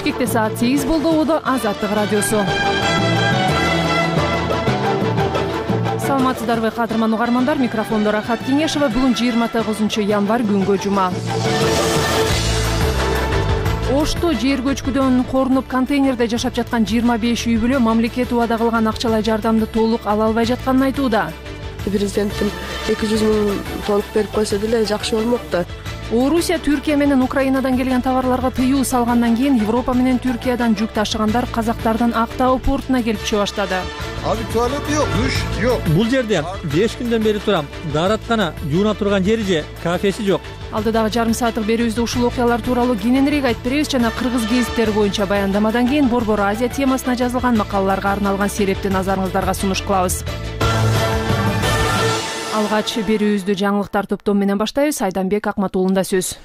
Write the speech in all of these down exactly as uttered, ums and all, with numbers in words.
Бишкекте саат сегиз болду. Убада Азаттык радиосу. Саламатсыздарбы кадырман угармандар, микрофондо Рахат Кеңешова. Бүгүн жыйырма тогузунчу январь күнгө жума. Ошто жер көчкүдөн корунуп контейнерде жашап жаткан жыйырма беш үй бүлө мамлекет убада кылган акчалай жардамды толук ала албай жатканын айтууда. Президенттин эки жүз миң толук берип койсо деле жакшы болмок да. Орусия Түркия менен Украинадан келген товарларга тыюу салгандан кийин Европа менен Түркиядан жүк ташыгандар казактардын Актау портуна келип түшө баштады. Abi tuvalet yok, duş yok. Бул жерде беш күндөн бери турам. Даараткана, жууна турган жери же, кафеси жок. Алдыдагы жарым сааттык берүүбүздө ушул окуялар тууралуу кененирээк айтып беребиз жана кыргыз гезиттери боюнча баяндамадан кийин Борбор Азия темасына жазылган макалаларга арналган серепти назарыңыздарга сунуш кылабыз. Алгач берүүбүздү жаңылыктар топтому менен баштайбыз. Айданбек Акматуулунда сөз.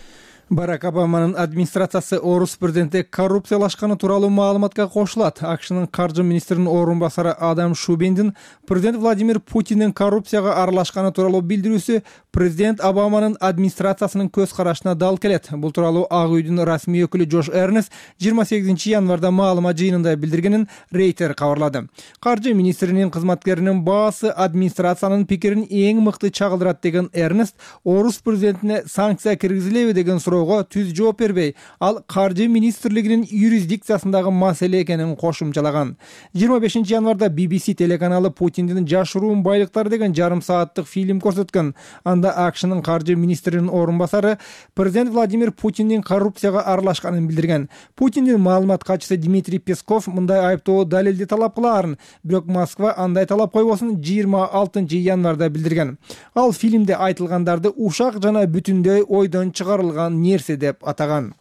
Барак Обаманын администрациясы орус президенти коррупциялашканы тууралуу маалыматка кошулат. АКШнын каржы министринин орун басары Адам Шубиндин президент Владимир Путиндин коррупцияга аралашканы тууралуу билдирүүсү президент Обаманын администрациясынын көз карашына дал келет. Бул тууралуу Ак үйдүн расмий өкүлү Джош Эрнест жыйырма сегизинчи январда маалымат жыйынында билдиргенин Рейтер кабарлады. Каржы министринин кызматкеринин баасы администрациянын пикирин эң мыкты чагылдырат деген Эрнест орус президентине санкция киргизилеби деген суроо түз жооп бербей, ал каржы министрлигинин юрисдикциясындагы маселе экенин кошумчалаган. жыйырма бешинчи январда би би си телеканалы Путиндин жашыруун байлыктары деген жарым сааттык фильм көрсөткөн. Анда АКШнын каржы министринин орун басары президент Владимир Путиндин коррупцияга аралашканын билдирген. Путиндин маалымат катчысы Дмитрий Песков мындай айыптоо далилди талап кылаарын, бирок Москва андай талап койбосун жыйырма алтынчы январда билдирген. Ал фильмде айтылгандарды ушак жана бүтүндөй ойдон чыгарылган нерсе деп атаган.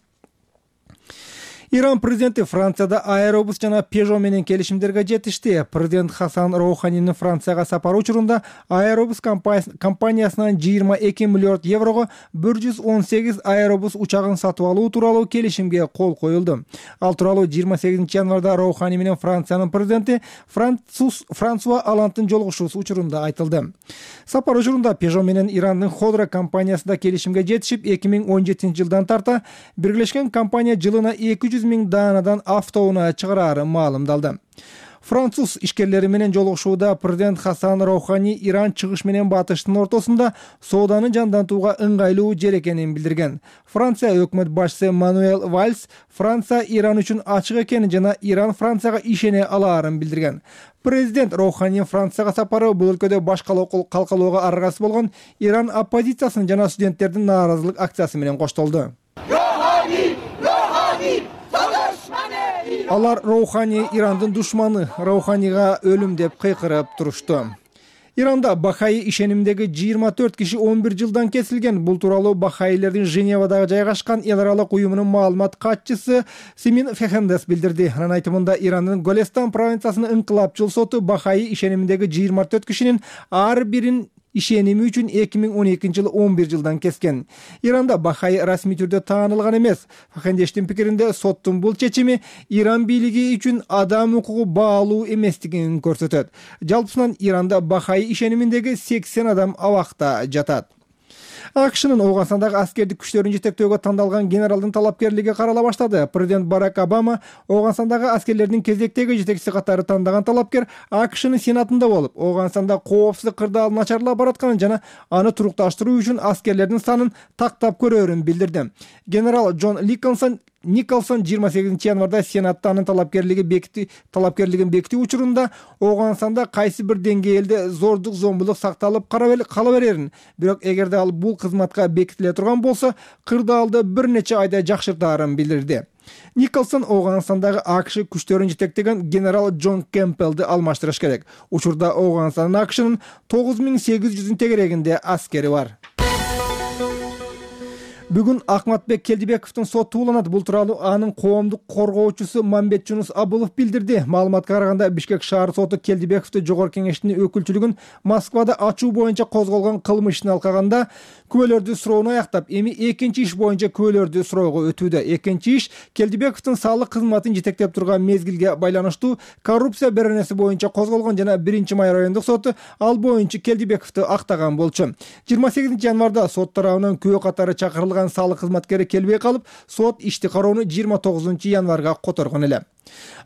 Иран президенти Францияда Аэробус жана Peugeot менен келишимдерге жетишти. Президент Хасан Роуханинин Францияга сапары учурунда Аэробус компаниясынан жыйырма эки миллиард еврого бир жүз он сегиз Аэробус учагын сатып алуу тууралуу келишимге кол коюлду. Ал тууралуу жыйырма сегизинчи январда Роухани менен Франциянын президенти Франсус Франсуа Олландтын жолугушуусу учурунда айтылды. Сапар учурунда Peugeot менен Ирандын Ходра компаниясында келишимге жетишип, эки миң он жетинчи жылдан тарта биргелешкен компания жылына эки жүз миң даанадан автоунаа чыгарары маалымдалды. Француз ишкерлери менен жолугушууда президент Хасан Роухани Иран чыгыш менен батыштын ортосунда сооданы жандантууга ыңгайлуу жер экенин билдирген. Франция өкмөт башчысы Мануэль Вальс Франция Иран үчүн ачык экенин жана Иран Францияга ишене алаарын билдирген. Президент Роуханинин Францияга сапары бул өлкөдө баш калкалоого аргасыз болгон Иран оппозициясынын жана студенттердин нааразылык акциясы менен коштолду. Алар Роухани Ирандын душманы, Роуханига өлүм деп кыйкырып турушту. Иранда Бахаи ишенимдеги жыйырма төрт киши он бир жылдан кесилген. Бул тууралуу Бахаилердин Женевадагы жайгашкан эл аралык уюмунун маалымат катчысы Симин Фехендес билдирди. Анын айтымында Ирандын Голестан провинциясынын инкылапчыл соту Бахаи ишенимдеги жыйырма төрт кишинин ар бирин ишеними үчүн эки миң он экинчи жылы он бир жылдан кескен. Иранда Бахаи расмий түрдө таанылган эмес. Фахендештин пикиринде соттун бул чечими Иран бийлиги үчүн адам укугу баалуу эместигин көрсөтөт. Жалпысынан Иранда Бахаи ишениминдеги сексен адам абакта жатат. АКШнын Ооганстандагы аскердик күчтөрүн жетектөөгө тандалган генералдын талапкерлиги карала баштады. Президент Барак Обама Ооганстандагы аскерлердин кезектеги жетекчиси катары тандаган талапкер АКШнын сенатында болуп, Ооганстанда коопсуздук кырдаал начарлап баратканын жана аны турукташтыруу үчүн аскерлердин санын тактап көрөөрүн билдирди. Генерал Джон Николсон Николсон жыйырма сегизинчи январда Сенатта анын талапкерлиги бекити талапкерлигин бекитүү учурунда Ооганстанда кайсы бир деңгээлде зордук зомбулук сакталып кала берерин, бирок эгерде ал бул кызматка бекитиле турган болсо, кырдаалды бир нече айда жакшыртаарын билдирди. Николсон Ооганстандагы АКШ күчтөрүн жетектеген генерал Джон Кемпелди алмаштырыш керек. Учурда Ооганстандын АКШнын тогуз миң сегиз жүздүн тегерегинде аскери бар. Бүгүн Акматбек Келдибековдун соту уланат. Бул тууралуу анын коомдук коргоочусу Мамбет Жунус Абылов билдирди. Маалыматка караганда Бишкек шаар соту Келдибековду жогорку кеңештин өкүлчүлүгүн Москвада ачуу боюнча козголгон кылмыш ишин алкаганда күбөлөрдү суроону аяктап, эми экинчи иш боюнча күбөлөрдү суроого өтүүдө. Экинчи иш Келдибековдун салык кызматын жетектеп турган мезгилге байланыштуу коррупция беренеси боюнча козголгон жана биринчи май райондук соту ал боюнча Келдибековду актаган болчу. жыйырма сегизинчи январда сот тарабынан күбө катары чакырылган жыйылган салык кызматкери келбей калып, сот ишти кароону жыйырма тогузунчу январга которгон эле.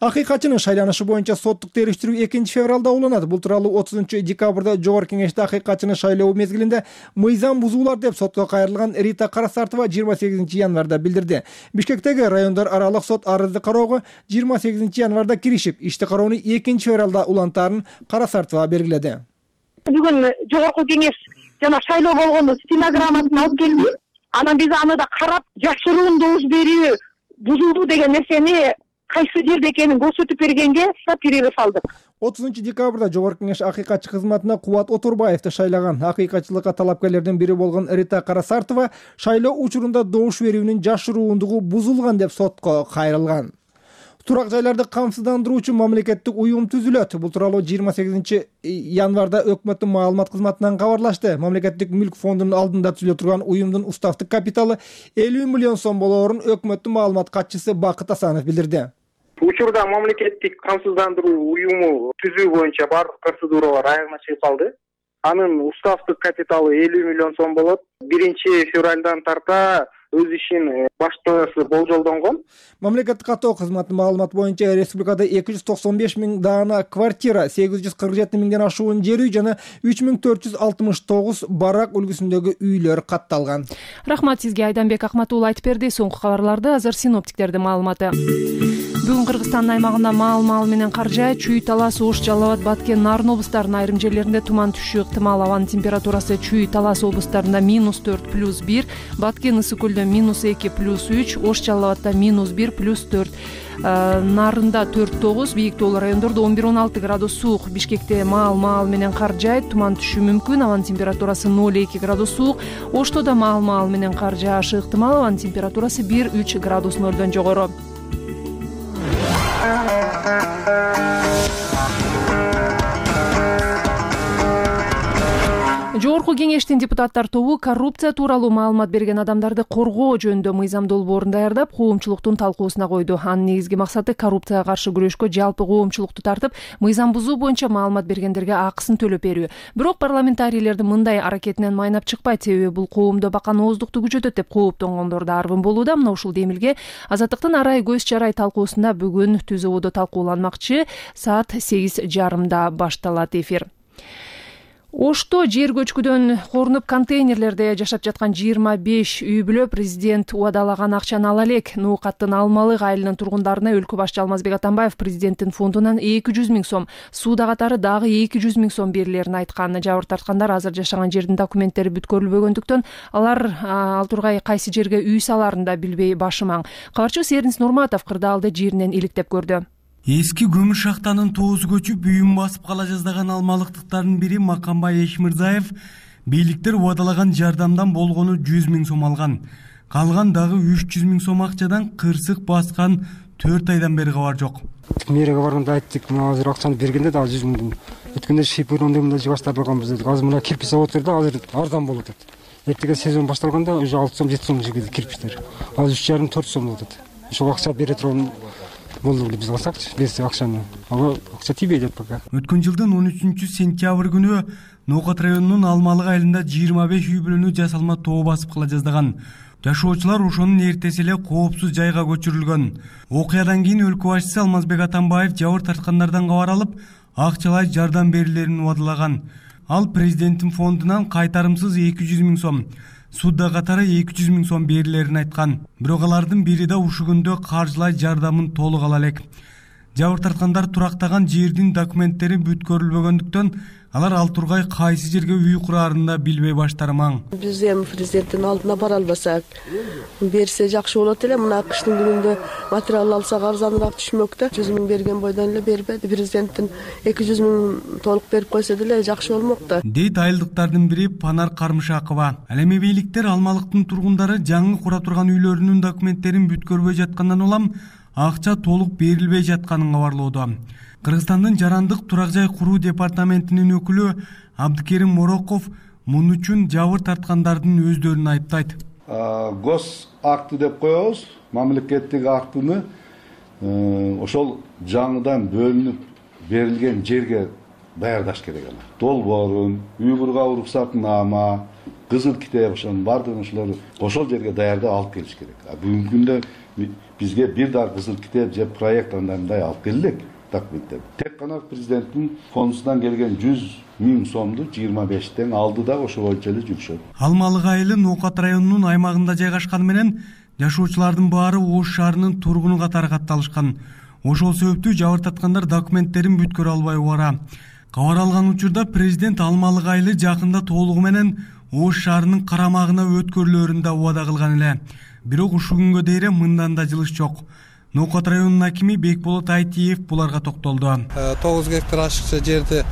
Акыйкатчынын шайланышы боюнча соттук териштирүү экинчи февралда уланат. Бул тууралуу отузунчу декабрда Жогорку Кеңеште акыйкатчынын шайлоо мезгилинде мыйзам бузуулар деп сотко кайрылган Рита Карасартова жыйырма сегизинчи январда билдирди. Бишкектеги райондор аралык сот арызды кароого жыйырма сегизинчи январда киришип, ишти кароону экинчи февралда улантаарын Карасартова белгиледи. Бүгүн Жогорку Кеңеш жана шайлоо болгону стенограммасын алып келди. Анан биз аны да карап, жашыруун добуш берүү бузулду деген нерсени кайсы жерде экенин көрсөтүп бергенге перерыв алдык. отузунчу декабрда Жогорку Кеңеш акыйкатчы кызматына Кубат Отурбаевди шайлаган. Акыйкатчылыкка талапкерлердин бири болгон Рита Карасартова шайлоо учурунда добуш берүүнүн жашыруундугу бузулган деп сотко кайрылган. Турак жайларды камсыздандыруучу мамлекеттик уюм түзүлөт. Бул тууралуу жыйырма сегизинчи январда өкмөттүн маалымат кызматынан кабарлашты. Мамлекеттик мүлк фондунун алдында түзүлө турган уюмдун уставдык капиталы элүү миллион сом болоорун өкмөттүн маалымат катчысы Бакыт Асанов билдирди. Учурда мамлекеттик камсыздандыруу уюму түзүү боюнча бардык процедуралар аягына чыгып калды. Анын уставдык капиталы элүү миллион сом болот. биринчи февралдан тарта өз ишин баштаасы болжолдонгон. Мамлекеттик каттоо кызматынын маалыматы боюнча республикада эки жүз токсон беш миң даана квартира, сегиз жүз кырк жети миңден ашуун жер үй жана үч миң төрт жүз алтымыш тогуз барак үлгүсүндөгү үйлөр катталган. Рахмат сизге, Айданбек Акматуулу айтып берди. Соңку кабарларды азыр синоптиктердин маалыматы. Бүгүн Кыргызстандын аймагында маал-маал менен кар жаайт. Чүй, Талас, Ош, Жалал Абад, Баткен, Нарын облустарынын айрым жерлеринде туман түшүү ыктымал. Абанын температурасы Чүй, Талас облустарында минус төрт плюс бир, Баткен, Ысык көлдө минус эки плюс үч, Ош, Жалал Абадда минус бир плюс төрт, Нарында төрт тогуз, бийик тоолуу райондордо он бир он алты градус суук. Бишкекте маал-маал менен кар жаайт, туман түшүү мүмкүн. Абанын температурасы ноль эки градус суук. Ошто да маал-маал менен кар жаашы ыктымал. Абанын температурасы бир үч градус нолдон жогору. Жогорку Кеңештин депутаттар тобу коррупция тууралуу маалымат берген адамдарды коргоо жөнүндө мыйзам долбоорун даярдап, коомчулуктун талкуусуна койду. Анын негизги максаты коррупцияга каршы күрөшкө жалпы коомчулукту тартып, мыйзам бузуу боюнча маалымат бергендерге акысын төлөп берүү. Бирок парламентарийлердин мындай аракетинен майнап чыкпайт, себеби бул коомдо баканооздукту күчөтөт деп кооптонгондор да аргын болууда. Мына ушул демилге Азаттыктын арай көз чарай талкуусунда бүгүн түз ободо талкууланмакчы. Саат сегиз жарымда башталат эфир. Ошто жер көчкүдөн корунуп контейнерлерде жашап жаткан жыйырма беш үй бүлө президент убадалаган акчаны ала элек. Ноокаттын Алмалык айылынын тургундарына өлкө башчы Алмазбек Атамбаев президенттин фондунан эки жүз миң сом, сууда катары дагы эки жүз миң сом берилерин айткан. Жабыр тарткандар азыр жашаган жердин документтери бүткөрүлбөгөндүктөн алар ал тургай кайсы жерге үй салаарын да билбей башымаң. Кабарчыбыз Эрнис Нурматов кырдаалды жеринен иликтеп көрдү. Эски көмүр шахтанын тоозу көчүп үйүн басып кала жаздаган алмалыктыктардын бири Макамбай Эшмирзаев бийликтер убадалаган жардамдан болгону жүз миң сом алган. Калган дагы үч жүз миң сом акчадан кырсык баскан төрт айдан бери кабар жок. Мэрге барганда айттык, мына азыр акчаны бергенде да жүз миң. Өткөндө шипирөндөгүндө жыбаштырганбыз дедик. Азыр мына кирпич заводдор да азыр арзан болот дейт. Эртеге сезон башталганда уже алты сом жети сом жигиди кирпичтер. Азыр үч жарым төрт сом болот. Ошол акча бере турган болду биз алсакчы, берсе акчаны. Ага акча тийбейт пока. Өткөн жылдын он үчүнчү сентябрь күнү Ноокат районунун Алмалык айылында жыйырма беш үй бүлөнү жасалма тоо басып кала жаздаган. Жашоочулар ошонун эртеси эле коопсуз жайга көчүрүлгөн. Окуядан кийин өлкө башчысы Алмазбек Атамбаев жабыр тарткандардан кабар алып, акчалай жардам берилерин убадалаган. Ал президенттин фондунан кайтарымсыз эки жүз миң сом, сууда катары эки жүз миң сом берилерин айткан. Бирок алардын бири да ушул күндө каржылай жардамын толук ала элек. Жабыр тарткандар турактаган жердин документтери бүткөрүлбөгөндүктөн алар ал тургай кайсы жерге үй курарын да билбей баштармаң. Биз эми президенттин алдына бара албасак, берсе жакшы болот эле. Мына кыштын күнүндө материал алсак арзаныраак түшмөк да. жүз миң берген бойдон эле бербеди. Президенттин эки жүз миң толук берип койсо деле жакшы болмок да. Дейт айылдыктардын бири Панар Кармышакова. Ал эми бийликтер Алмалыктын тургундары жаңы кура турган үйлөрүнүн документтерин бүткөрбөй жаткандан улам акча толук берилбей жатканын кабарлоодо. Кыргызстандын жарандык турак жай куруу департаментинин өкүлү Абдыкерим Мороков мун үчүн жабыр тарткандардын өздөрүн айыптайт. Гос акты деп коебуз, мамлекеттик актыны ошол жаңыдан бөлүнүп берилген жерге даярдаш керек. Долбоорун, үй курууга уруксатнама, кызыл китеп ошонун баардыгын ошолорду ошол жерге даярдап алып келиш керек. Бүгүнкү күндө бизге бир дагы кызыл китеп же проект андай мындай алып келе элек документтер. Тек гана президенттин фондунан келген жүз миң сомду жыйырма бештен алды да ошо боюнча эле жүрүшөт. Алмалык айылы Ноокат районунун аймагында жайгашканы менен жашоочулардын баары Ош шаарынын тургуну катары катталышкан. Ошол себептүү жабыртаткандар документтерин бүткөрө албай убара. Кабар алган учурда президент Алмалык айылы жакында толугу менен Ош шаарынын карамагына өткөрүлөрүн да убада кылган эле. Бирок ушул күнгө дейин мындан да жылыш жок. Ноокат районунун акими Бекболот Айтиев буларга токтолду. тогуз гектар ашыкча жерди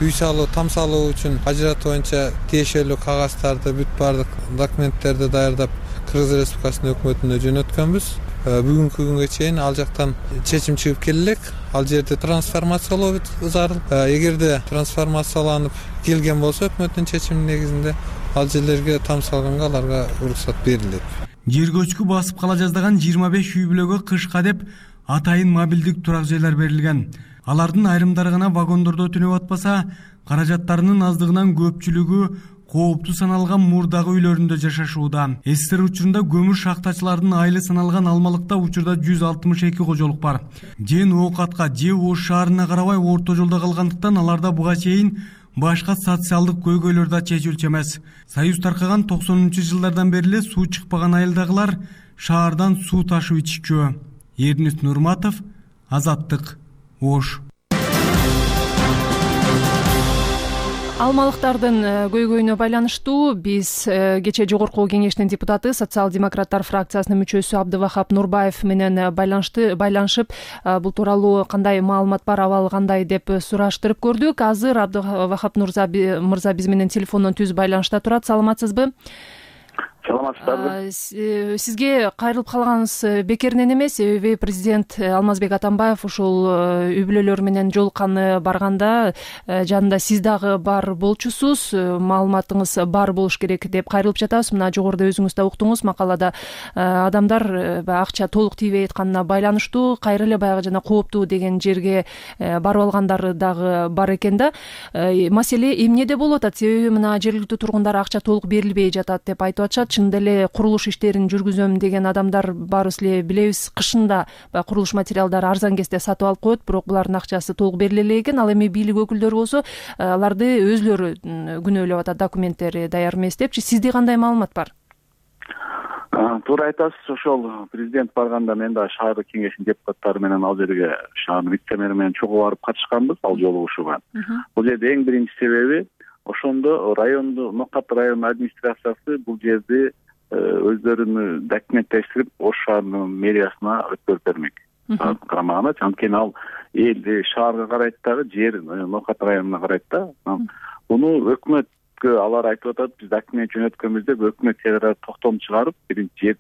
үй салуу, там салуу үчүн ажыратуу боюнча тиешелүү кагаздарды, бүт баардык документтерди даярдап Кыргыз Республикасынын өкмөтүнө жөнөткөнбүз. Бүгүнкү күнгө чейин ал жактан чечим чыгып келелек. Ал жерди трансформациялоо зарыл. Эгерде трансформацияланып келген болсо өкмөттүн чечиминин негизинде ал жерлерге там салганга аларга уруксат берилет. Жер көчкү басып кала жаздаган жыйырма беш үй бүлөгө кышка деп атайын мобилдик турак жайлар берилген. Алардын айрымдары гана вагондордо түнөп атпаса, каражаттарынын аздыгынан көпчүлүгү кооптуу саналган мурдагы үйлөрүндө жашашууда. СССР учурунда көмүр шахтачылардын айылы саналган Алмалыкта учурда жүз алтымыш эки кожолук бар. Же Ноокатка, же Ош шаарына карабай орто жолдо калгандыктан аларда буга чейин башка социалдык көйгөйлөр да чечилчү эмес. Союз таркаган токсонунчу жылдардан бери эле суу чыкпаган айылдагылар шаардан суу ташып иччү. Эрнис Нурматов, Азаттык, Ош. Алмалыктардын көйгөйүнө байланыштуу биз кечээ жогорку кеңештин депутаты, социал-демократтар фракциясынын мүчөсү Абдывахап Нурбаев менен байланышты байланышып, бул тууралуу кандай маалымат бар, абал кандай деп сураштырып көрдүк. Азыр Абдывахап мырза биз менен телефондон түз байланышта турат. Саламатсызбы? Саламатсыздарбы? Сизге кайрылып калганыбыз бекеринен эмес. Себеби президент Алмазбек Атамбаев ушул үй бүлөлөр менен жолукканы барганда жанында сиз дагы бар болчусуз, маалыматыңыз бар болуш керек деп кайрылып жатабыз. Мына жогоруда өзүңүз да уктуңуз, макалада адамдар акча толук тийбей атканына байланыштуу кайра эле баягы жана кооптуу деген жерге барып алгандары дагы бар экен да. Маселе эмнеде болуп атат? Себеби мына жергиликтүү тургундар акча толук берилбей жатат деп айтып атышат. Чындап эле курулуш иштерин жүргүзөм деген адамдар баарыбыз эле билебиз, кышында баягы курулуш материалдары арзан кезде сатып алып коет, бирок булардын акчасы толук бериле элек экен. Ал эми бийлик өкүлдөрү болсо аларды өзүлөрү күнөөлөп атат, документтери даяр эмес депчи. Сизде кандай маалымат бар? Туура айтасыз. Ошол президент барганда мен да шаардык кеңештин депутаттары менен ал жерге шаардын вице-мэри менен чогуу барып катышканбыз ал жолугушууга. Бул жерде эң биринчи себеби ошондо райондо Ноокат районунун администрациясы бул жерди өздөрүнүн документтештирип Ош шаарынын мэриясына өткөрүп бермек. Карамагына анткени ал эл шаарга карайт дагы, жер Ноокат районуна карайт да. Буну өкмөткө алар айтып атат, биз документ жөнөткөнбүз деп өкмөт тегерээ токтом чыгарып, биринчи жер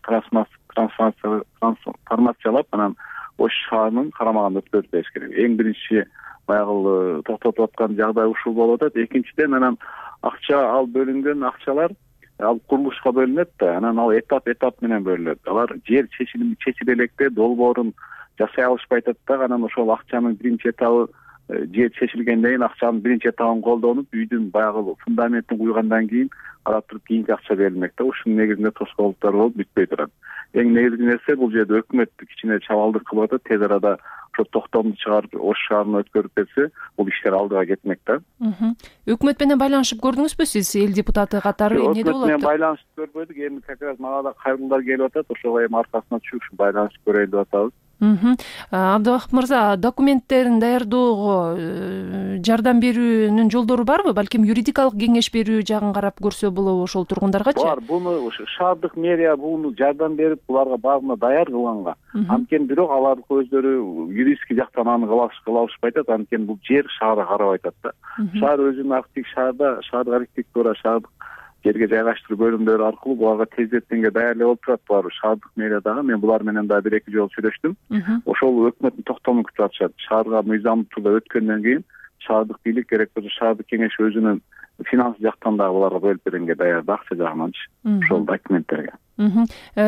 трансформациялап, анан Ош шаарынын карамагына өткөрүп бериш керек. Эң биринчи баягы токтотуп аткан жагдай ушул болуп атат. Экинчиден анан акча ал бөлүнгөн акчалар ал курулушка бөлүнөт да, анан ал этап этап менен бөлүнөт. Алар жер чечилип чечиле электе долбоорун жасай алышпай атат да, анан ошол акчанын биринчи этабы жер чечилгенден кийин акчанын биринчи этабын колдонуп, үйдүн баягы фундаментин куйгандан кийин карап туруп кийинки акча берилмек да. Ушунун негизинде тоскоолдуктар болуп бүтпөй турат. Эң негизги нерсе бул жерде өкмөт кичине чабалдык кылып атат. Тез арада ошо токтомду чыгарып Ош шаарына өткөрүп берсе, бул иштер алдыга кетмек да. Өкмөт менен байланышып көрдүңүзбү сиз, эл депутаты катары? Эмне болот? Өкмөт менен байланышып көрбөдүк. Эми как раз мага да кайрылуулар келип атат. Ошого эми аркасына түшүп ушу байланышып көрөйлү деп атабыз. Абдывахап мырза, документтерин даярдоого жардам берүүнүн жолдору барбы? Балким юридикалык кеңеш берүү жагын карап көрсө болобу ошол тургундаргачы? Бар. Буну шаардык мэрия буну жардам берип, буларга баарына даяр кылганга. Анткени бирок алардык өздөрү юридический жактан аны кыла алышпай атат. Анткени бул жер шаарга карабай атат да. Шаар өзүнүн архитектик шаарда шаардык архитектура, шаардык жерге жайгаштыруу бөлүмдөрү аркылуу буларга тездетенге даярдык болуп турат. Булар шаардык мэриядагы, мен булар менен да бир эки жолу сүйлөштүм. Ошол өкмөттүн токтомун күтүп атышат. Шаарга мыйзамдуу түрдө өткөндөн кийин шаардык бийлик керек болсо шаардык кеңеш өзүнүн финанс жактан дагы буларга бөлүп бергенге даярд, акча жагынанчы ошол документтерге.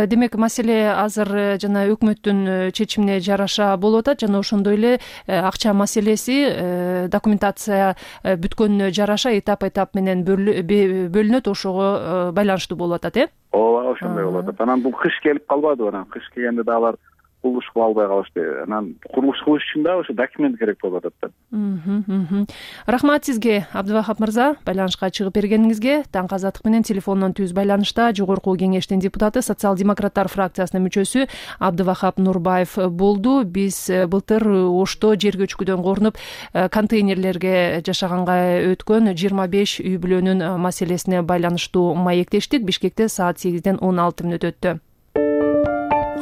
Демек маселе азыр жана өкмөттүн чечимине жараша болуп атат жана ошондой эле акча маселеси документация бүткөнүнө жараша этап этап менен бөлүнөт, ошого байланыштуу болуп атат, э? Ооба, ошондой болуп атат. Анан бул кыш келип калбадыбы, анан кыш келгенде да алар курулуш кыла албай калышты. Анан курулуш кылыш үчүн да ошо документ керек болуп атат да. Рахмат сизге, Абдывахап мырза, байланышка чыгып бергениңизге. Таң Азаттык менен телефондон түз байланышта жогорку кеңештин депутаты, социал-демократтар фракциясынын мүчөсү Абдывахап Нурбаев болду. Биз былтыр Ошто жер көчкүдөн корунуп контейнерлерге жашаганга өткөн жыйырма беш үй бүлөнүн маселесине байланыштуу маектештик. Бишкекте саат сегизден он алты мүнөт өттү.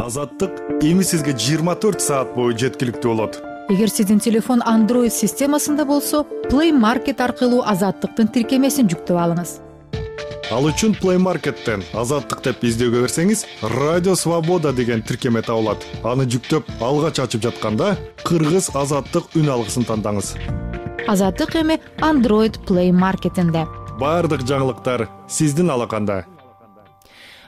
Азаттык эми сизге жыйырма төрт саат бою жеткиликтүү болот. Эгер сиздин телефон Android системасында болсо, Play Market аркылуу Азаттыктын тиркемесин жүктөп алыңыз. Ал үчүн Play Market'тен Азаттык деп издөөгө берсеңиз, Радио Свобода деген тиркеме табылат. Аны жүктөп, алгач ачып жатканда Кыргыз Азаттык үн алгысын тандаңыз. Азаттык эми Android Play Market'инде. Бардык жаңылыктар сиздин алаканда.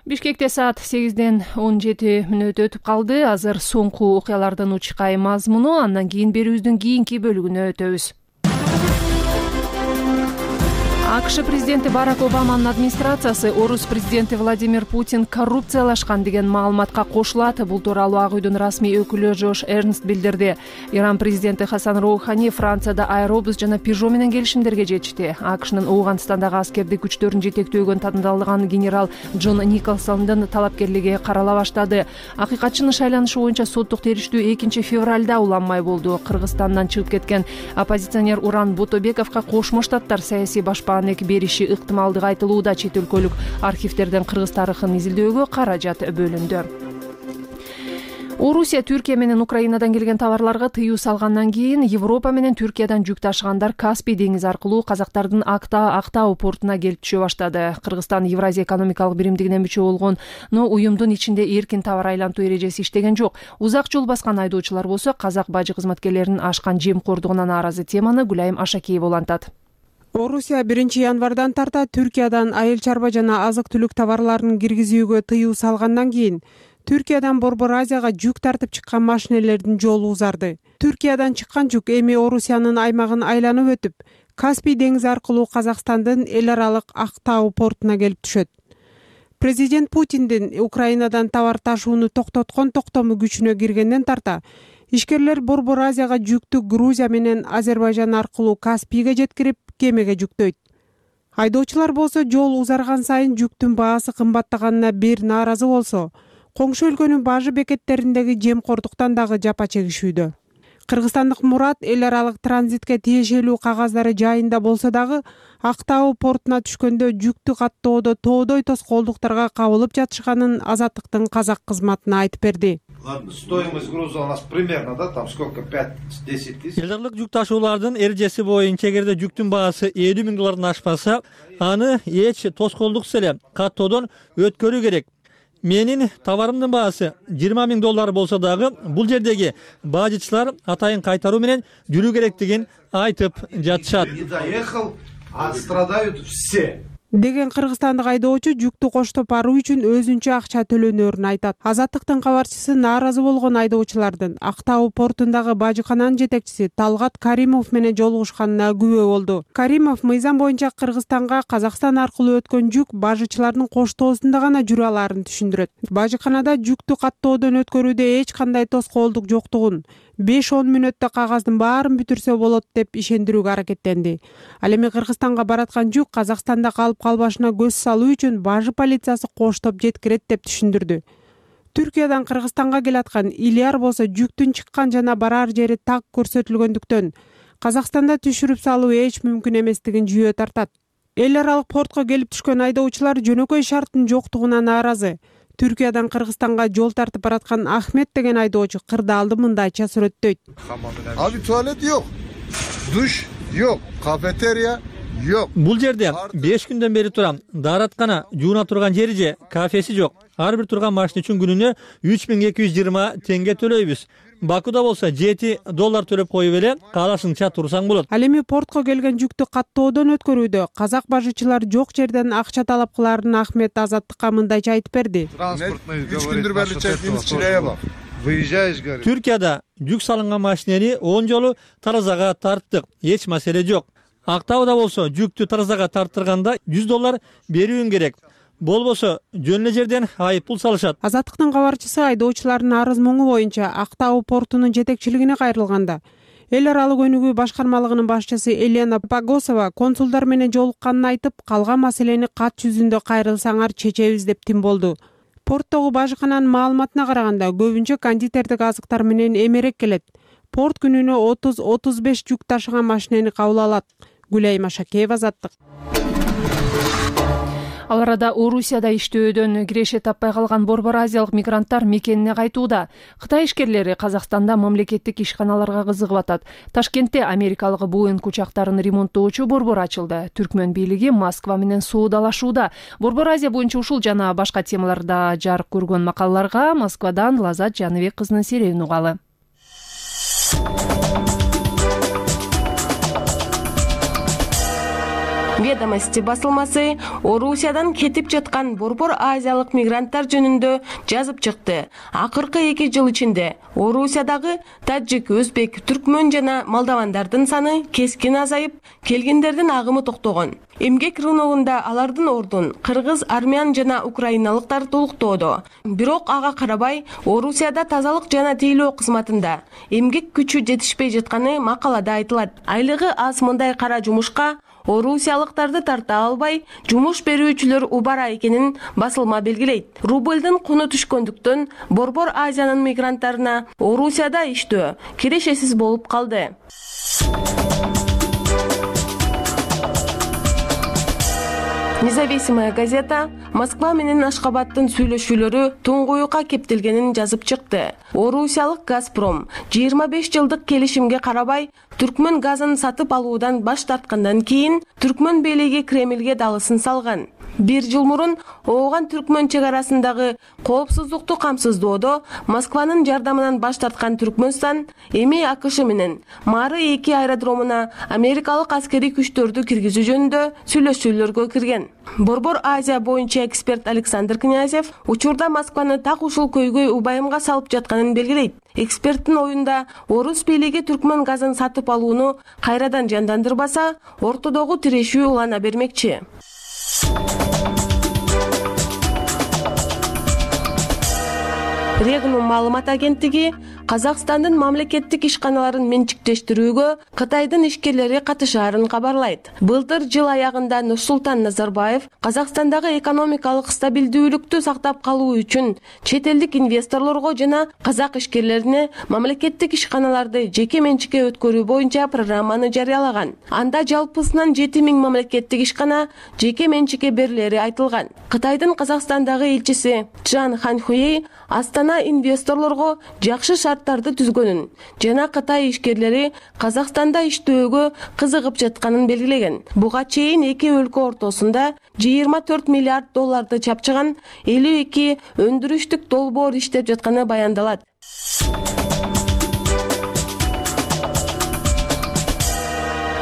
Бишкекте саат сегизден он жети мүнөт өтүп калды. Азыр соңку окуялардын учкай мазмуну, андан кийин берүүбүздүн кийинки бөлүгүнө өтөбүз. АКШ президенти Барак Обаманын администрациясы орус президенти Владимир Путин коррупциялашкан деген маалыматка кошулат. Бул тууралуу Ак үйдүн расмий өкүлү Жош Эрнст билдирди. Иран президенти Хасан Роухани Францияда Аэробус жана Пежо менен келишимдерге жетишти. АКШнын Ооганстандагы аскердик күчтөрүн жетектөөгөн тандалган генерал Джон Николсондун талапкерлиги карала баштады. Акыйкатчынын шайланышы боюнча соттук териштүү экинчи февралда уланмай болду. Кыргызстандан чыгып кеткен оппозиционер Уран Ботобековго Кошмо Штаттар саясий башпаан бериши ыктымалдыгы айтылууда. Чет өлкөлүк архивдерден кыргыз тарыхын изилдөөгө каражат бөлүндү. Орусия Түркия менен Украинадан келген товарларга тыюу салгандан кийин Европа менен Түркиядан жүк ташыгандар Каспий деңизи аркылуу казактардын Актау портуна келип түшө баштады. Кыргызстан Евразия экономикалык биримдигине мүчө болгон, но уюмдун ичинде эркин товар айлантуу эрежеси иштеген жок. Узак жол баскан айдоочулар болсо казак бажы кызматкерлеринин ашкан жемкордугуна нааразы. Теманы Гүлайым Ашакиева улантат. Орусия биринчи январдан тарта Түркиядан айыл чарба жана азык-түлүк товарларын киргизүүгө тыюу салгандан кийин Түркиядан Борбор Азияга жүк тартып чыккан машинелердин жолу узарды. Түркиядан чыккан жүк эми Орусиянын аймагын айланып өтүп, Каспий деңизи аркылуу Казакстандын эл аралык Актау портуна келип түшөт. Президент Путиндин Украинадан товар ташууну токтоткон токтому күчүнө киргенден тарта ишкерлер Борбор Азияга жүктү Грузия менен Азербайжан аркылуу Каспийге жеткирип, кемеге жүктөйт. Айдоочулар болсо жол узарган сайын жүктүн баасы кымбаттаганына бир нааразы болсо, коңшу өлкөнүн бажы бекеттериндеги жемкордуктан дагы жапа чегишүүдө. Кыргызстандык Мурат эл аралык транзитке тиешелүү кагаздары жайында болсо дагы Актау портуна түшкөндө жүктү каттоодо тоодой тоскоолдуктарга кабылып жатышканын Азаттыктын казак кызматына айтып берди. Ладно, стоимость груза у нас примерно, да, там сколько, пять-десять тысяч? Элдарлык жүк ташуулардын эрежеси боюнча эгерде жүктүн баасы элүү миң доллардан ашпаса, аны эч тоскоолдуксуз эле каттоодон өткөрүү керек. Менин товарымдын баасы жыйырма миң доллар болсо дагы бул жердеги бажычылар атайын кайтаруу менен жүрүү керектигин айтып жатышат. Не доехал, а страдают все. Деген кыргызстандык айдоочу жүктү коштоп баруу үчүн өзүнчө акча төлөнөрүн айтат. Азаттыктын кабарчысы нааразы болгон айдоочулардын Актау портундагы бажыкананын жетекчиси Талгат Каримов менен жолугушканына күбө болду. Каримов мыйзам боюнча Кыргызстанга Казакстан аркылуу өткөн жүк бажычылардын коштоосунда гана жүрө алаарын түшүндүрөт. Бажыканада жүктү каттоодон өткөрүүдө эч кандай тоскоолдук жоктугун, беш он мүнөттө кагаздын баарын бүтүрсө болот деп ишендирүүгө аракеттенди. Ал эми Кыргызстанга бараткан жүк Казакстанда калып калбашына көз салуу үчүн бажы полициясы коштоп жеткирет деп түшүндүрдү. Түркиядан Кыргызстанга келаткан Илияр болсо жүктүн чыккан жана барар жери так көрсөтүлгөндүктөн Казакстанда түшүрүп салуу эч мүмкүн эместигин жүйө тартат. Эл аралык портко келип түшкөн айдоочулар жөнөкөй шарттын жоктугуна нааразы. Түркиядан Кыргызстанга жол тартып бараткан Ахмет деген айдоочу кырдаалды мындайча сүрөттөйт. Abi tuvalet yok, duş yok, kafeterya yok. Бул жерде беш күндөн бери турам. Даараткана, жууна турган жери же, кафеси жок. Ар бир турган машина үчүн күнүнө үч миң эки жүз жыйырма теңге төлөйбүз. Бакуда болсо жети доллар төлөп коюп эле каалашыңча турсаң болот. Ал эми портко келген жүктү каттоодон өткөрүүдө казак бажычылар жок жерден акча талап кылаарын Ахмет Азаттыкка мындайча айтып берди. Үч күндүр бери чекинчи чилея выезжаешь, говорит. Түркияда жүк салынган машинени он жолу таразага тарттык, эч маселе жок. Актауда болсо жүктү таразага тарттырганда жүз доллар берүүң керек. Болбосо жөн эле жерден айып пул салышат. Азаттыктын кабарчысы айдоочулардын арыз муңу боюнча Актау портунун жетекчилигине кайрылганда эл аралык өнүгүү башкармалыгынын башчысы Елена Погосова консулдар менен жолукканын айтып, калган маселени кат жүзүндө кайрылсаңар чечебиз деп тим болду. Порттогу бажыкананын маалыматына караганда көбүнчө кондитердик азыктар менен эмерек келет. Порт күнүнө отуз отуз беш жүк ташыган машинени кабыл алат. Гүлай Машакеева, Азаттык. Ал арада Орусияда иштөөдөн киреше таппай калган борбор азиялык мигранттар мекенине кайтууда. Кытай ишкерлери Казакстанда мамлекеттик ишканаларга кызыгып атат. Ташкентте америкалык Боинг учактарын ремонттоочу борбор ачылды. Түркмөн бийлиги Москва менен соодалашууда. Борбор Азия боюнча ушул жана башка темаларда жарык көргөн макалаларга Москвадан Лазат Жаныбек кызынын серебин угалы. Ведомости басылмасы Орусиядан кетип жаткан борбор азиялык мигранттар жөнүндө жазып чыкты. Акыркы эки жыл ичинде Орусиядагы таджик, өзбек, түркмөн жана молдавандардын саны кескин азайып, келгендердин агымы токтогон. Эмгек рыногунда алардын ордун кыргыз, армян жана украиналыктар толуктоодо. Бирок ага карабай Орусияда тазалык жана тейлөө кызматында эмгек күчү жетишпей жатканы макалада айтылат. Айлыгы аз мындай кара жумушка орусиялыктарды тарта албай, жумуш берүүчүлөр убара экенин басылма белгилейт. Рублдун куну түшкөндүктөн борбор Азиянын мигранттарына Орусияда иштөө кирешесиз болуп калды. Независимая газета Москва менен Ашхабадтын сүйлөшүүлөрү туңгуюкка кептелгенин жазып чыкты. Орусиялык Газпром жыйырма беш жылдык келишимге карабай түркмөн газын сатып алуудан баш тарткандан кийин түркмөн бийлиги Кремлге далысын салган. Бир жыл мурун Ооган түркмөн чек арасындагы коопсуздукту камсыздоодо Москванын жардамынан баш тарткан Түркмөнстан эми АКШ менен Мары эки аэродромуна америкалык аскерий күчтөрдү киргизүү жөнүндө сүйлөшүүлөргө кирген. Борбор Азия боюнча эксперт Александр Князев учурда Москваны так ушул көйгөй убайымга салып жатканын белгилейт. Эксперттин оюнда орус бийлиги түркмөн газын сатып алууну кайрадан жандандырбаса, ортодогу тирешүү улана бермекчи. Регнум маалымат агенттиги Казакстандын мамлекеттик ишканаларын менчиктештирүүгө Кытайдын ишкерлери катышаарын кабарлайт. Былтыр жыл аягында Нурсултан Назарбаев Казакстандагы экономикалык стабилдүүлүктү сактап калуу үчүн чет элдик инвесторлорго жана казак ишкерлерине мамлекеттик ишканаларды жеке менчикке өткөрүү боюнча программаны жарыялаган. Анда жалпысынан жети миң мамлекеттик ишкана жеке менчикке берилери айтылган. Кытайдын Казакстандагы элчиси Чжан Ханхуэй Астана инвесторлорго жакшы шарттарды түзгөнүн жана Кытай ишкерлери Казакстанда иштөөгө кызыгып жатканын белгилеген. Буга чейин эки өлкө ортосунда жыйырма төрт миллиард долларды чапчыган элүү эки өндүрүштүк долбоор иштеп жатканы баяндалат.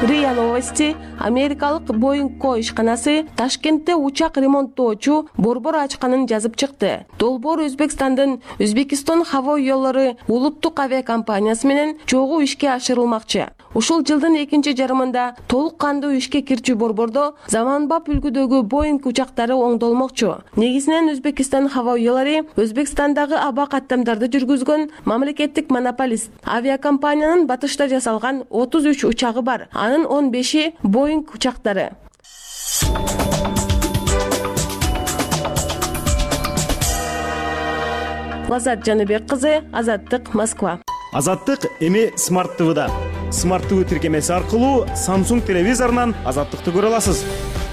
РИА Новости америкалык Боинг ко ишканасы Ташкентте учак ремонттоочу борбор ачканын жазып чыкты. Долбоор Өзбекстандын Өзбекистон хаво жолдору улуттук авиакомпаниясы менен чогуу ишке ашырылмакчы. Ушул жылдын экинчи жарымында толук кандуу ишке кирчү борбордо заманбап үлгүдөгү Боинг учактары оңдолмокчу. Негизинен Өзбекистан хаво жолдору Өзбекстандагы аба каттамдарды жүргүзгөн мамлекеттик монополист. Авиакомпаниянын батышта жасалган отуз үч учагы бар. Анын он беши Боинг учактары. Лазат Жаныбек кызы, Азаттык, Москва. Азаттык эми Смарт ТВда. Смарт ТВ тиркемеси аркылуу Samsung телевизорунан Азаттыкты көрө аласыз.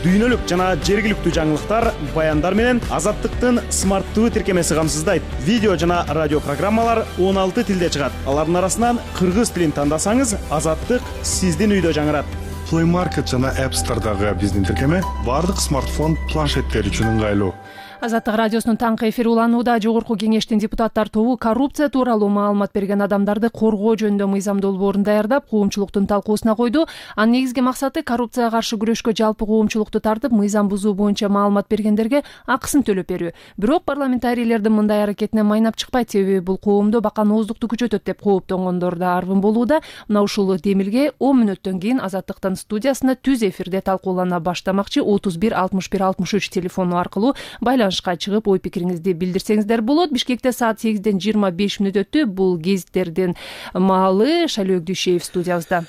Дүйнөлүк жана жергиликтүү жаңылыктар, баяндар менен Азаттыктын Смарт ТВ тиркемеси камсыздайт. Видео жана радио программалар он алты тилде чыгат. Алардын арасынан кыргыз тилин тандасаңыз, Азаттык сиздин үйдө жаңырат. Play Market жана App Store'дагы биздин тиркеме бардык смартфон, планшеттер үчүн ыңгайлуу. Азаттык радиосунун таңкы эфири уланууда. Жогорку кеңештин депутаттар тобу коррупция тууралуу маалымат берген адамдарды коргоо жөнүндө мыйзам долбоорун даярдап, коомчулуктун талкуусуна койду. Анын негизги максаты коррупцияга каршы күрөшкө жалпы коомчулукту тартып, мыйзам бузуу боюнча маалымат бергендерге акысын төлөп берүү. Бирок парламентарийлердин мындай аракетине майнап чыкпайт, себеби бул коомдо баканооздукту күчөтөт деп кооптонгондор да арвын болууда. Мына ушул демилге он мүнөттөн кийин Азаттыктын студиясында түз эфирде талкуулана баштамакчы. отуз бир алтымыш бир алтымыш үч телефону аркылуу байланышка чыгып ой пикириңизди билдирсеңиздер болот. Бишкекте саат сегизден жыйырма беш мүнөт өттү. Бул гезиттердин маалы. Шайлоо Дүйшеев студиябызда.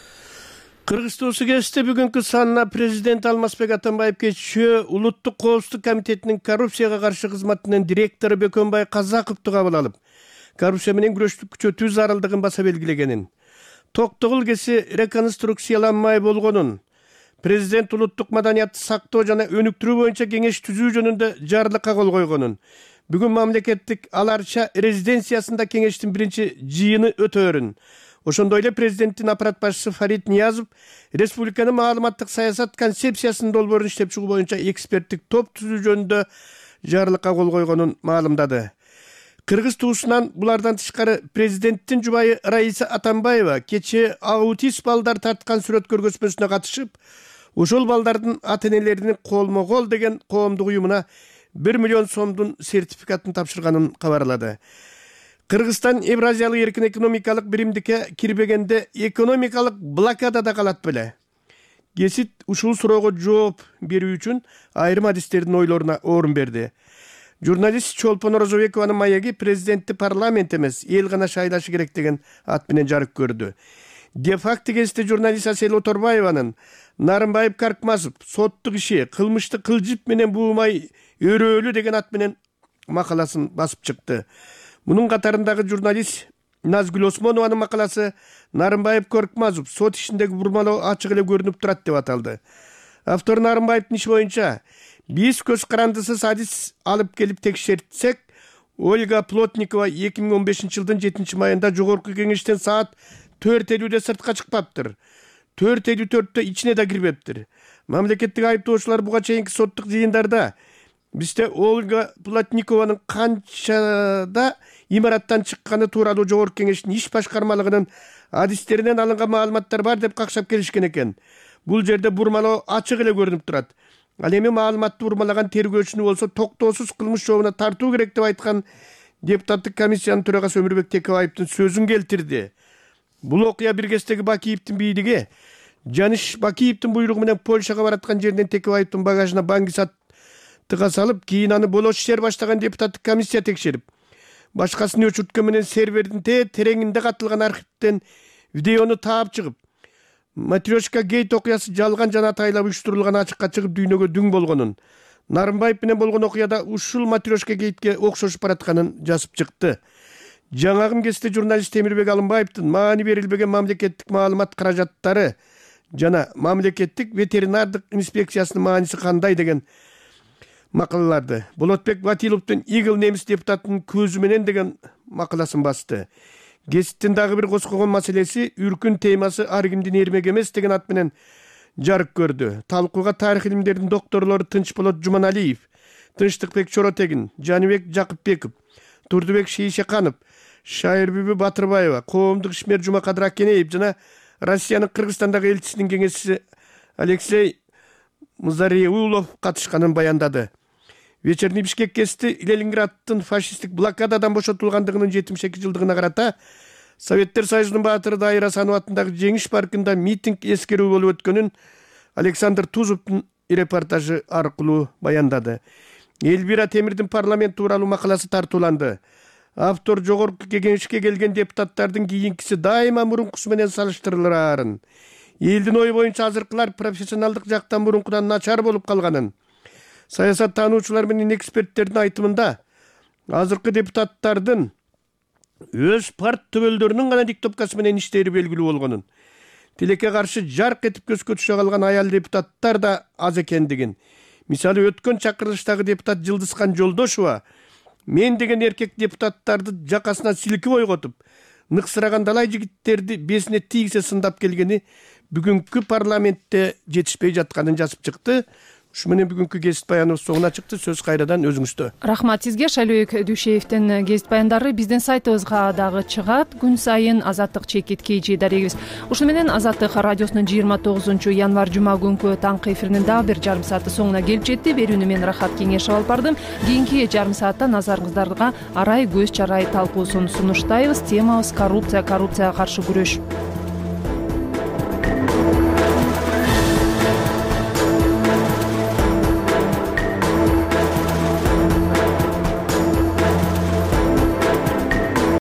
Кыргызстан Сүйгесте бүгүнкү санына президент Алмазбек Атамбаев кечээ Улуттук коопсуздук комитетинин коррупцияга каршы кызматынын директору Бөкөнбай Казаковду кабыл алып, коррупция менен күрөштү күчөтүү зарылдыгын баса белгилегенин, токтогул кеси реконструкцияланмай болгонун, президент улуттук маданиятты сактоо жана өнүктүрүү боюнча кеңеш түзүү жөнүндө жарлыкка кол койгонун, бүгүн мамлекеттик Аларча резиденциясында кеңештин биринчи жыйыны өтөөрүн, ошондой эле президенттин аппарат башчысы Фарид Ниязов республиканын маалыматтык саясат концепциясынын долбоорун иштеп чыгуу боюнча эксперттик топ түзүү жөнүндө жарлыкка кол койгонун маалымдады. Кыргыз туусунан булардан тышкары президенттин жубайы Раиса Атамбаева кечээ аутист балдар тарткан сүрөт көргөзмөсүнө катышып, ошол балдардын ата-энелеринин колмо-кол деген коомдук уюмуна бир миллион сомдун сертификатын тапшырганын кабарлады. Кыргызстан Евразиялык эркин экономикалык биримдикке кирбегенде экономикалык блокадада калат беле. Гесит ушул суроого жооп берүү үчүн айрым адистердин ойлоруна орун берди. Журналист Чолпон Розобекованын маеги президентти парламент эмес, эл гана шайлашы керек деген ат менен жарык көрдү. Де факто гезитте журналист Асель Оторбаеванын Нарымбаев Каркмазов соттук иши кылмышты кылжып менен буумай өрөөлү деген ат менен макаласын басып чыкты. Мунун катарындагы журналист Назгүл Осмонованын макаласы Нарымбаев Коркмазов сот ишиндеги бурмалоо ачык эле көрүнүп турат деп аталды. Автор Нарымбаевдин иши боюнча биз көз карандысыз адис алып келип текшертсек, Ольга Плотникова эки миң он бешинчи жылдын жетинчи майында жогорку кеңештен саат төрт элүүдө сыртка чыкпаптыр. төрт элүү төрттө ичине да кирбептир. Мамлекеттик айыптоочулар буга чейинки соттук жыйындарда бизде Ольга Плотникованын канчада имараттан чыкканы тууралуу жогорку кеңештин иш башкармалыгынын адистеринен алынган маалыматтар бар деп какшап келишкен экен. Бул жерде бурмалоо ачык эле көрүнүп турат. Ал эми маалыматты бурмалаган тергөөчүнү болсо токтоосуз кылмыш жообуна тартуу керек деп айткан депутаттык комиссиянын төрагасы Өмүрбек Текебаевдин сөзүн келтирди. Бул окуя Биргестеги Бакиевдин бийлиги Жаныш Бакиевдин буйругу менен Польшага бараткан жерден Текебаевдин багажына баңгисат тыга салып, кийин аны болош ишер баштаган депутаттык комиссия текшерип, башкасын өчүрткөн менен сервердин те тереңинде катылган архивден видеону таап чыгып, Матрешка гейт окуясы жалган жана атайлап уюштурулган ачыкка чыгып дүйнөгө дүң болгонун, Нарымбаев менен болгон окуяда ушул Матрешка гейтке окшошуп баратканын жазып чыкты. Жаңагы кезде журналист Темирбек Алымбаевдин маани берилбеген мамлекеттик маалымат каражаттары жана мамлекеттик ветеринардык инспекциясынын мааниси кандай деген макалаларды Болотбек Батиловдун Игл немис депутатынын көзү менен деген макаласын басты. Гезиттин дагы бир коскогон маселеси үркүн темасы ар кимдин эрмек эмес деген ат менен жарык көрдү. Талкууга тарых илимдеринин докторлору Тынчболот Жуманалиев, Тынчтыкбек Чоротегин, Жаныбек Жакыпбеков, Турдубек Шейшеканов, Шайырбүбү Батырбаева, коомдук ишмер Жумакадыр Акенеев жана Россиянын Кыргызстандагы элчисинин кеңешчиси Алексей Музареулов катышканын баяндады. Вечерний Бишкек гезити Ленинграддын фашисттик блокададан бошотулгандыгынын жетимиш эки жылдыгына карата Советтер Союзунун баатыры Дайыр Асанов атындагы Жеңиш паркында митинг эскерүү болуп өткөнүн Александр Тузовдун репортажы аркылуу баяндады. Элвира Темирдин парламент тууралуу макаласы тартууланды. Автор жогорку кеңешке келген депутаттардын кийинкиси дайыма мурункусу менен салыштырылаарын, элдин ою боюнча азыркылар профессионалдык жактан мурункудан начар болуп калганын, саясат таануучулар менен эксперттердин айтымында азыркы депутаттардын өз парт төбөлдөрүнүн гана диктопкасы менен иштери белгилүү болгонун, тилекке каршы жарк этип көзгө түшө калган аял депутаттар да аз экендигин, мисалы өткөн чакырылыштагы депутат Жылдызкан Жолдошова мен деген эркек депутаттарды жакасынан силкип ойготуп, ныксыраган далай жигиттерди бесине тийгизе сындап келгени бүгүнкү парламентте жетишпей жатканын жазып чыкты. Ушу менен бүгүнкү гезит баяныбыз соңуна чыкты. Сөз кайрадан өзүңүздө. Рахмат сизге. Шайлөөк Дүйшеевдин гезит баяндары биздин сайтыбызга дагы чыгат. Күн сайын Азаттык чекит kg дарегибиз. Ушуну менен Азаттык радиосунун жыйырма тогузунчу январь жума күнкү таңкы эфиринин дагы бир жарым сааты соңуна келип жетти. Берүүнү мен Рахат Кеңешов алып бардым. Кийинки жарым саатта назарыңыздарга арай көз чарай талкуусун сунуштайбыз. Темабыз коррупция, коррупцияга каршы күрөш.